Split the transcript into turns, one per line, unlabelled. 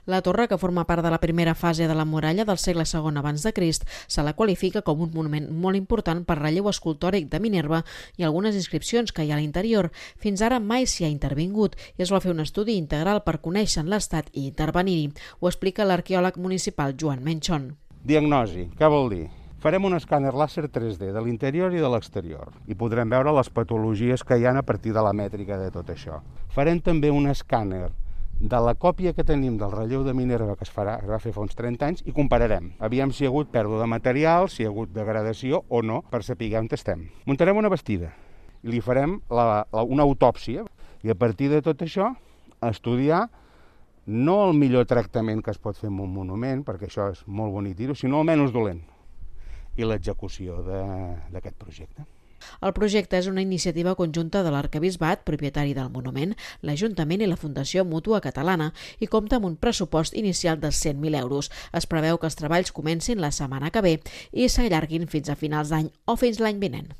La torre, que forma part de la primera fase de la muralla del segle II abans de Crist, se la qualifica com un monument molt important per relleu escultòric de Minerva i algunes inscripcions que hi ha a l'interior. Fins ara mai s'hi ha intervingut i es va fer un estudi integral per conèixer l'estat i intervenir-hi. Ho explica l'arqueòleg municipal Joan Menchon.
Diagnosi, què vol dir? Farem un escàner làser 3D de l'interior i de l'exterior i podrem veure les patologies que hi ha a partir de la mètrica de tot això. Farem també un escàner de la còpia que tenim del relleu de Minerva que es va fer fa uns 30 anys i compararem. Aviam si hi ha hagut pèrdua de material, si hi ha hagut degradació o no, per saber on estem. Muntarem una bastida i li farem una autòpsia i a partir de tot això estudiar no el millor tractament que es pot fer amb un monument, perquè això és molt bonic dir-ho, sinó el menys dolent, i l'execució d'aquest projecte.
El projecte és una iniciativa conjunta de l'Arquebisbat, propietari del monument, l'Ajuntament i la Fundació Mútua Catalana i compta amb un pressupost inicial de 100.000 euros. Es preveu que els treballs comencin la setmana que ve i s'allarguin fins a finals d'any o fins l'any vinent.